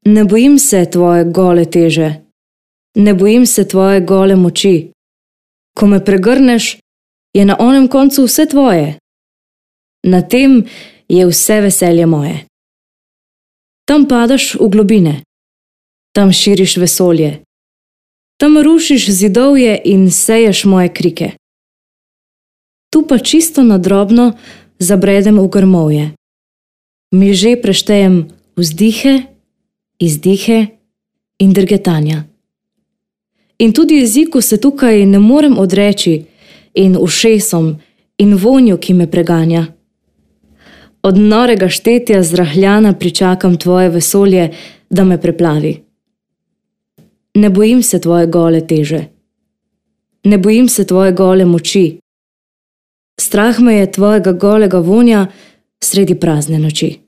Ne bojim se tvoje gole teže, ne bojim se tvoje gole moči. Ko me pregrneš, je na onem koncu vse tvoje. Na tem je vse veselje moje. Tam padaš v globine, tam širiš vesolje, tam rušiš zidovje in seješ moje krike. Tu pa čisto na drobno zabredem v grmovje. Miže preštejem vzdihe, izdihe in drgetanja. In tudi jeziku se tukaj ne morem odreči in ušesom in vonju, ki me preganja. Od norega štetja zrahljana pričakam tvoje vesolje, da me preplavi. Ne bojim se tvoje gole teže, ne bojim se tvoje gole moči. Strah me je tvojega golega vonja sredi prazne noči.